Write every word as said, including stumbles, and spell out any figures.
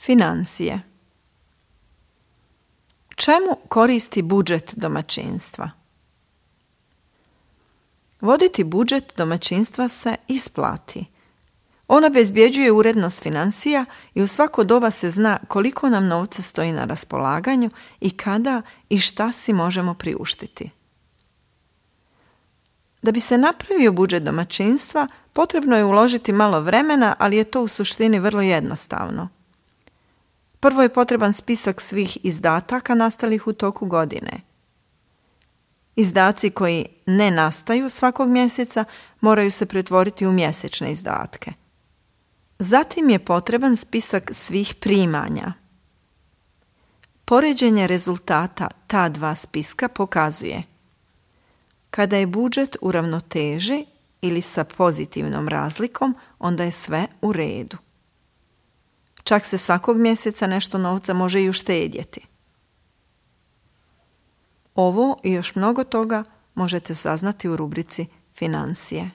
Financije. Čemu koristi budžet domaćinstva? Voditi budžet domaćinstva se isplati. On obezbjeđuje urednost financija i u svako doba se zna koliko nam novca stoji na raspolaganju i kada i šta si možemo priuštiti. Da bi se napravio budžet domaćinstva, potrebno je uložiti malo vremena, ali je to u suštini vrlo jednostavno. Prvo je potreban spisak svih izdataka nastalih u toku godine. Izdaci koji ne nastaju svakog mjeseca moraju se pretvoriti u mjesečne izdatke. Zatim je potreban spisak svih primanja. Poređenje rezultata ta dva spiska pokazuje kada je budžet u ravnoteži ili sa pozitivnom razlikom, onda je sve u redu. Čak se svakog mjeseca nešto novca može i uštedjeti. Ovo i još mnogo toga možete saznati u rubrici Financije.